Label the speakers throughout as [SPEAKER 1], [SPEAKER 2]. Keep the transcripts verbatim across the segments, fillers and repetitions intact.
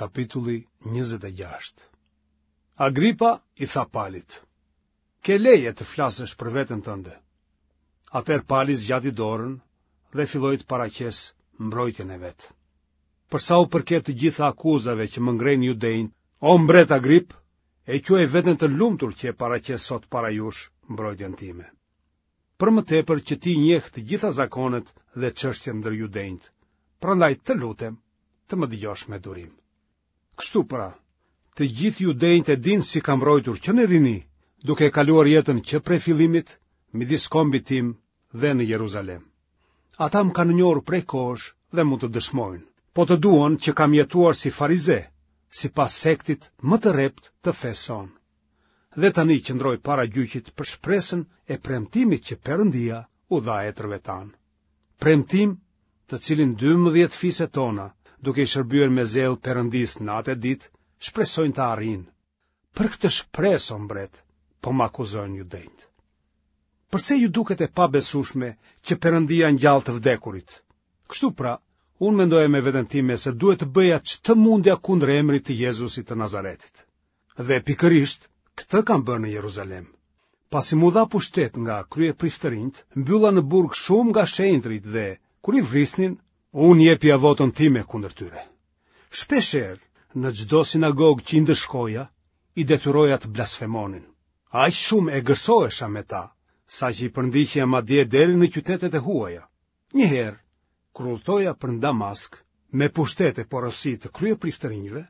[SPEAKER 1] Kapitulli njëzet e gjashtë. Agripa i tha Palit: Ke leje të flasësh për veten tënde. Atëherë Pali zgjati dorën dhe filloi të paraqesë mbrojtjen e vet. Për sa u përket të gjitha akuzave që më ngrejnë judenjtë, o mbret Agrip, e quaj veten të lumtur që e paraqes sot para jush mbrojtjen time. Për më tepër që ti njeh të gjitha zakonet dhe çështjet ndër judenjtë, prandaj të lutem të më dëgjosh me durim. Kështu pra, të gjithë judenjtë e dinë si kam rrojtur që në rini, duke e kaluar jetën që prej fillimit midis kombit tim dhe në Jeruzalem. Ata më kanë njohur prej kohësh dhe mund të dëshmojnë, po të duan që kam jetuar si farize, sipas sektit më të rreptë të fesë sonë. Dhe tani qëndroj para gjyqit për shpresën e premtimit që Perëndia u dha etërve tanë. Premtim të cilin dymbëdhjetë fiset tona, duke i shërbyer me zell Perëndisë natë e ditë, shpresojnë ta arrijnë. Për këtë shpresë, o mbret, po më akuzojnë judenjtë. Përse ju duket e pabesueshme që Perëndia ngjall të vdekurit? Kështu pra, unë mendoja me veten time se duhet të bëja ç'të mundja kundër emrit të Jezusit të Nazaretit. Dhe pikërisht këtë kam bërë në Jeruzalem. Pasi m'u dha pushtet nga kryepriftërinjtë, mbylla në burg shumë nga shenjtërit dhe, kur i vrisnin, unë jepja votën time kundër tyre. Shpeshherë, në çdo sinagogë që i ndëshkoja, i detyroja të blasfemonin. Aq shumë egërsohesha me ta, saqë i përndiqja madje deri në qytetet e huaja. Një herë, kur udhëtoja për në Damask, me pushtet e porosi të kryepriftërinjve,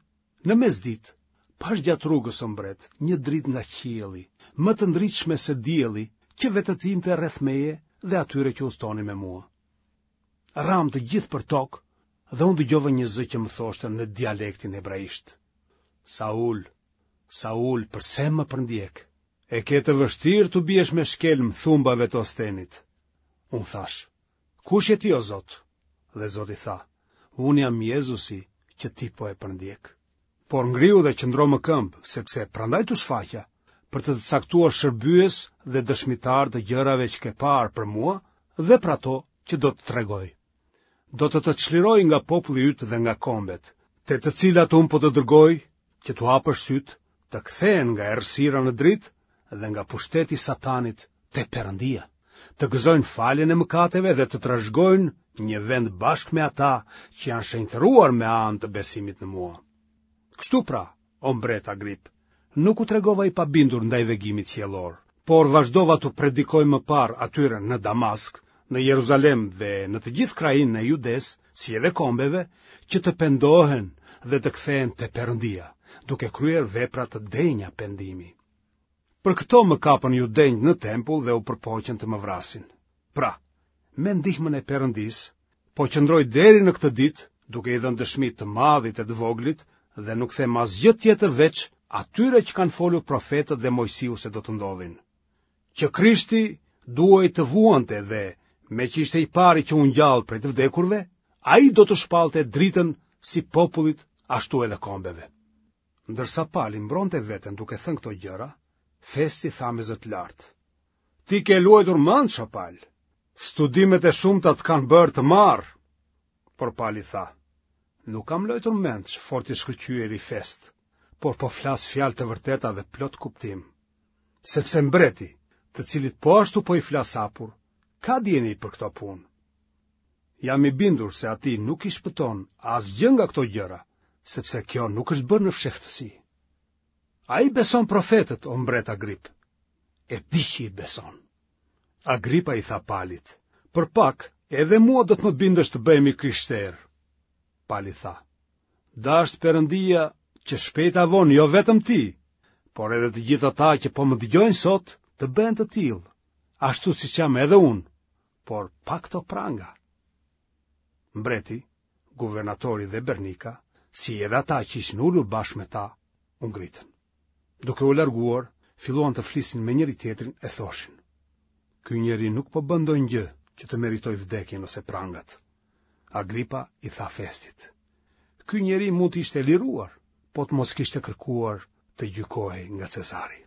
[SPEAKER 1] në mesditë, pashë gjatë rrugës, o mbret, një dritë nga qielli, më të ndritshme se dielli, që vetëtinte rreth meje dhe atyre që udhëtonin me mua. Ramë të gjithë për tokë dhe unë dëgjova një zë që më thoshte në dialektin hebraisht: Saul, Saul, përse më përndjek? E ke të vështirë t'u biesh me shkelm thumbave të ostenit. Unë thashë: Kush je ti, o Zot? Dhe Zoti tha: Unë jam Jezusi që ti po e përndjek. Por ngrihu dhe qëndro më këmbë, sepse prandaj t'u shfaqa, për të të caktuar shërbyes dhe dëshmitar të gjërave që ke parë për mua dhe për ato që do të tregoj. Do të të çliroj nga populli yt dhe nga kombet, te të cilat unë po të dërgoj, që t'u hapësh sytë, të kthehen nga errësira në dritë dhe nga pushteti i Satanit te Perëndia, të gëzojnë faljen e mëkateve dhe të trashëgojnë një vend bashkë me ata që janë shenjtëruar me anë të besimit në mua. Kështu pra, o mbret Agrip, nuk u tregova i pabindur ndaj vegimit qiellor, por vazhdova t'u predikoj më parë atyre në Damask, në Jeruzalem dhe në të gjithë krahinën e Judesë, si edhe kombeve, që të pendohen dhe të kthehen te Perëndia, duke kryer vepra të denja pendimi. Për këto më kapën judenjtë në tempull dhe u përpoqën të më vrasin. Pra, me ndihmën e Perëndisë, po qëndroj deri në këtë ditë, duke i dhënë dëshmi të madhit e të voglit, dhe nuk them asgjë tjetër veç atyre që kanë folur profetët dhe Moisiu se do të ndodhin. Që Krishti duhej të vuante dhe, meqë ishte i pari që u ngjall prej të vdekurve, ai do të shpallte dritën si popullit ashtu edhe kombeve. Ndërsa Pali mbronte veten duke thënë këto gjëra, Festi tha me zë të lartë: Ti ke luajtur mendsh, o Pal. Studimet e shumta të kanë bërë të marrë. Por Pali tha: Nuk kam luajtur mendsh, fort i shkëlqyeri Fest, por po flas fjalë të vërteta dhe plot kuptim. Sepse mbreti, të cilit po ashtu po i flas hapur, ka dijeni për këto punë. Jam i bindur se atij nuk i shpëton asgjë nga këto gjëra, sepse kjo nuk është bërë në fshehtësi. Ai beson profetët, o mbret Agrip. E di që i beson. Agripa i tha Palit: Për pak, edhe mua do të më bindësh të bëhem i krishterë. Pali tha: Dashtë Perëndia që shpejt a vonë jo vetëm ti, por edhe të gjithë ata që po më dëgjojnë sot të bëhen të tillë, ashtu siç jam edhe unë, por pa këto pranga. Mbreti, guvernatori dhe Bernika, si edhe ata që ishin ulur bashkë me ta, u ngritën. Duke u larguar, filluan të flisnin me njëri-tjetrin e thoshin: Ky njeri nuk po bën ndonjë gjë që të meritojë vdekjen ose prangat. Agripa i tha Festit: Ky njeri mund të ishte liruar, po të mos kishte kërkuar të gjykohej nga Cezari.